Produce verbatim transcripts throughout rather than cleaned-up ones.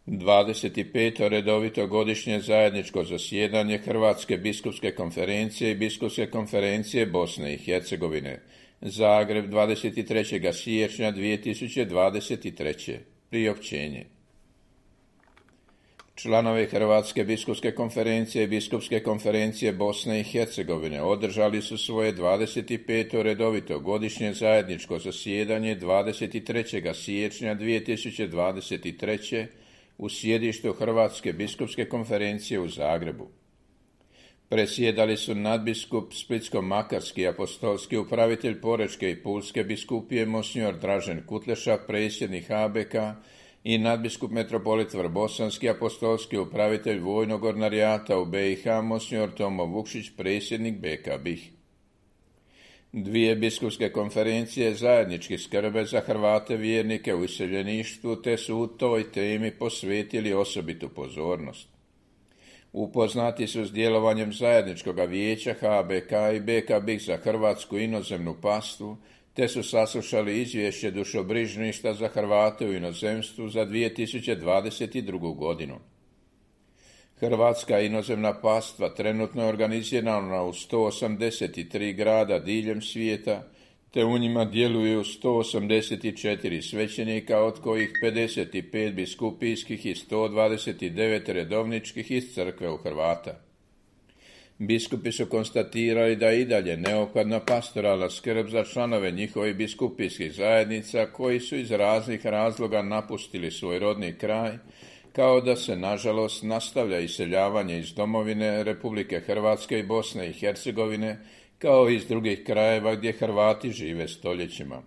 dvadeset peto redovito godišnje zajedničko zasjedanje Hrvatske biskupske konferencije i Biskupske konferencije Bosne i Hercegovine. Zagreb, dvadeset trećeg siječnja dvije tisuće dvadeset treće. Priopćenje. Članovi Hrvatske biskupske konferencije i Biskupske konferencije Bosne i Hercegovine održali su svoje dvadeset peto redovito godišnje zajedničko zasjedanje dvadeset trećeg siječnja dvije tisuće dvadeset treće. u sjedištu Hrvatske biskupske konferencije u Zagrebu. Presjedali su nadbiskup Splitsko-makarski apostolski upravitelj Porečke i Pulske biskupije monsignor Dražen Kutleša, predsjednik H B K, i nadbiskup metropolit Vrbosanski apostolski upravitelj vojnog ordinarijata u B i H monsignor Tomo Vukšić, predsjednik B K B I H. Dvije biskupske konferencije zajednički skrbe za Hrvate vjernike u iseljeništvu, te su u toj temi posvetili osobitu pozornost. Upoznati su s djelovanjem zajedničkog vijeća H B K i B K B I H za hrvatsku inozemnu pastvu, te su saslušali izvješće dušobrižništva za Hrvate u inozemstvu za dvije tisuće dvadeset drugu. godinu. Hrvatska inozemna pastva trenutno je organizirana u sto osamdeset tri grada diljem svijeta, te u njima djeluju sto osamdeset četiri svećenika, od kojih pedeset pet biskupijskih i sto dvadeset devet redovničkih iz crkve u Hrvata. Biskupi su konstatirali da je i dalje neophodna pastoralna skrb za članove njihovih biskupijskih zajednica koji su iz raznih razloga napustili svoj rodni kraj, kao da se nažalost nastavlja iseljavanje iz domovine Republike Hrvatske i Bosne i Hercegovine, kao i iz drugih krajeva gdje Hrvati žive stoljećima.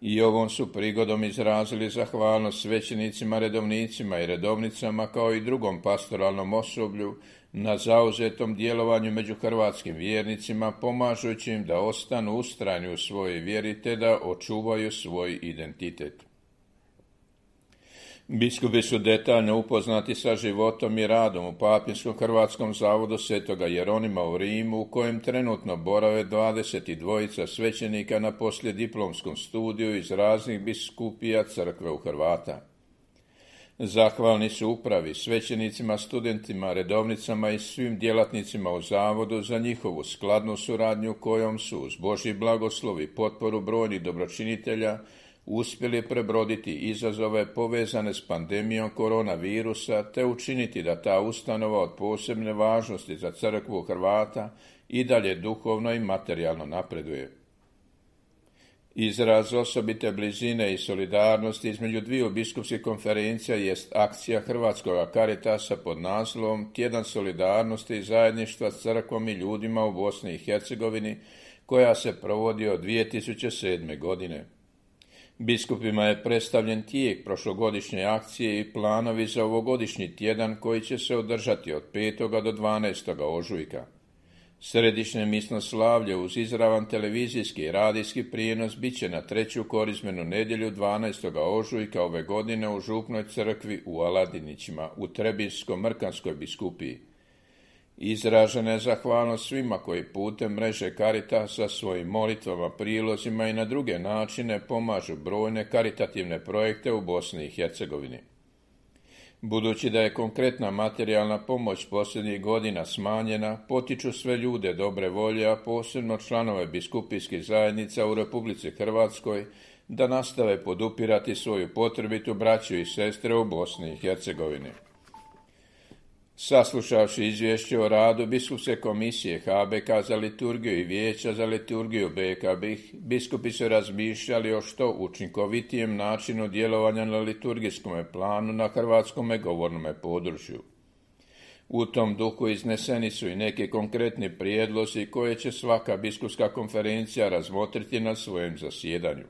I ovom su prigodom izrazili zahvalnost svećenicima, redovnicima i redovnicama, kao i drugom pastoralnom osoblju, na zauzetom djelovanju među hrvatskim vjernicima, pomažući im da ostanu ustrajni u svojoj vjeri te da očuvaju svoj identitet. Biskupi su detaljno upoznati sa životom i radom u Papinskom hrvatskom zavodu Svetoga Jeronima u Rimu, u kojem trenutno borave dvadeset dva svećenika na poslijediplomskom studiju iz raznih biskupija crkve u Hrvata. Zahvalni su upravi, svećenicima, studentima, redovnicama i svim djelatnicima u zavodu za njihovu skladnu suradnju, kojom su uz Božji blagoslov i potporu brojnih dobročinitelja uspjeli prebroditi izazove povezane s pandemijom koronavirusa, te učiniti da ta ustanova od posebne važnosti za crkvu Hrvata i dalje duhovno i materijalno napreduje. Izraz osobite blizine i solidarnosti između dviju biskupskih konferencija jest akcija Hrvatskog Caritasa pod naslovom Tjedan solidarnosti i zajedništva s crkvom i ljudima u Bosni i Hercegovini, koja se provodi od dvije tisuće sedme. godine. Biskupima je predstavljen tijek prošlogodišnje akcije i planovi za ovogodišnji tjedan, koji će se održati od petog do dvanaestog ožujka. Središnje misno slavlje uz izravan televizijski i radijski prijenos bit će na treću korizmenu nedjelju dvanaestog ožujka ove godine u Župnoj crkvi u Aladinićima u Trebinsko-Mrkanskoj biskupiji. Izražena je zahvalnost svima koji putem mreže Caritasa svojim molitvama, prilozima i na druge načine pomažu brojne karitativne projekte u Bosni i Hercegovini. Budući da je konkretna materijalna pomoć posljednjih godina smanjena, potiču sve ljude dobre volje, a posebno članove biskupijskih zajednica u Republici Hrvatskoj, da nastave podupirati svoju potrebitu braću i sestre u Bosni i Hercegovini. Saslušavši izvješće o radu Biskupske komisije H B K za liturgiju i Vijeća za liturgiju B K B I H, biskupi su razmišljali o što učinkovitijem načinu djelovanja na liturgijskom planu na hrvatskome govornom području. U tom duhu izneseni su i neki konkretni prijedlozi koje će svaka biskupska konferencija razmotriti na svojem zasjedanju.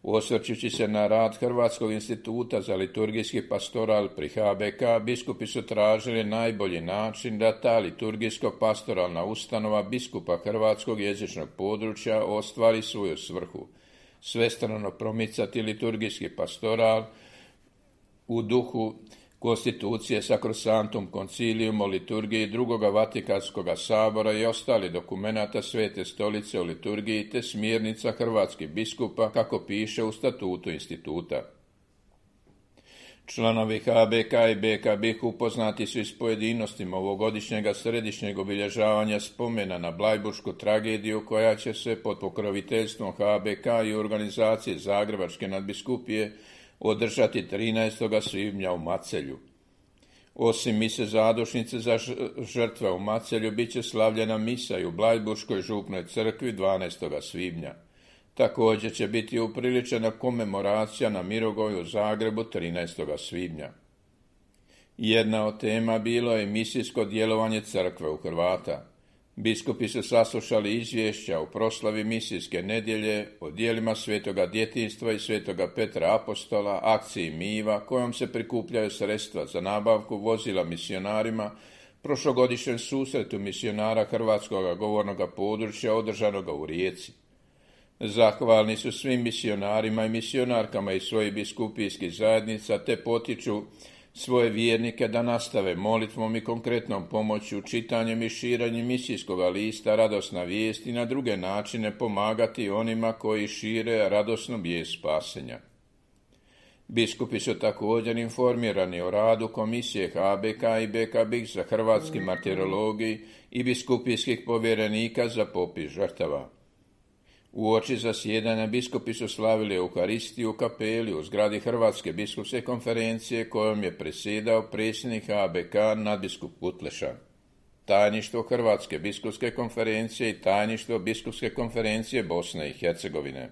Osvrćući se na rad Hrvatskog instituta za liturgijski pastoral pri H B K, biskupi su tražili najbolji način da ta liturgijsko-pastoralna ustanova biskupa hrvatskog jezičnog područja ostvari svoju svrhu, svestrano promicati liturgijski pastoral u duhu konstitucije Sacrosanctum Concilium o liturgiji drugoga Vatikanskog sabora i ostali dokumenata Svete stolice o liturgiji te smjernica hrvatskih biskupa, kako piše u statutu instituta. Članovi H B K i B K B I H upoznati su i s pojedinostima ovogodišnjega središnjeg obilježavanja spomena na blajburšku tragediju koja će se pod pokroviteljstvom H B K i organizacije Zagrebačke nadbiskupije održati trinaestog svibnja u Macelju. Osim mise zadušnice za žrtve u Macelju, bit će slavljena misa i u Blajburškoj župnoj crkvi dvanaestog svibnja. Također će biti upriličena komemoracija na Mirogoju u Zagrebu trinaestog svibnja. Jedna od tema bilo je misijsko djelovanje crkve u Hrvata. Biskupi su saslušali izvješća o proslavi misijske nedjelje, o djelima Svetoga djetinjstva i Svetoga Petra Apostola, akciji Miva, kojom se prikupljaju sredstva za nabavku vozila misionarima, prošlogodišnjem susretu misionara hrvatskog govornog područja održanoga u Rijeci. Zahvalni su svim misionarima i misionarkama iz svojih biskupijskih zajednica, te potiču svoje vjernike da nastave molitvom i konkretnom pomoću, čitanjem i širenjem misijskog lista Radosna vijest i na druge načine pomagati onima koji šire radosnu vijest spasenja. Biskupi su također informirani o radu Komisije H B K i B K B I H za hrvatski martirologiji i biskupijskih povjerenika za popis žrtava. Uoči zasjedanja biskupi su slavili Euharistiju u kapeli u zgradi Hrvatske biskupske konferencije kojom je predsjedao predsjednik H B K nadbiskup Kutleša. Tajništvo Hrvatske biskupske konferencije i tajništvo Biskupske konferencije Bosne i Hercegovine.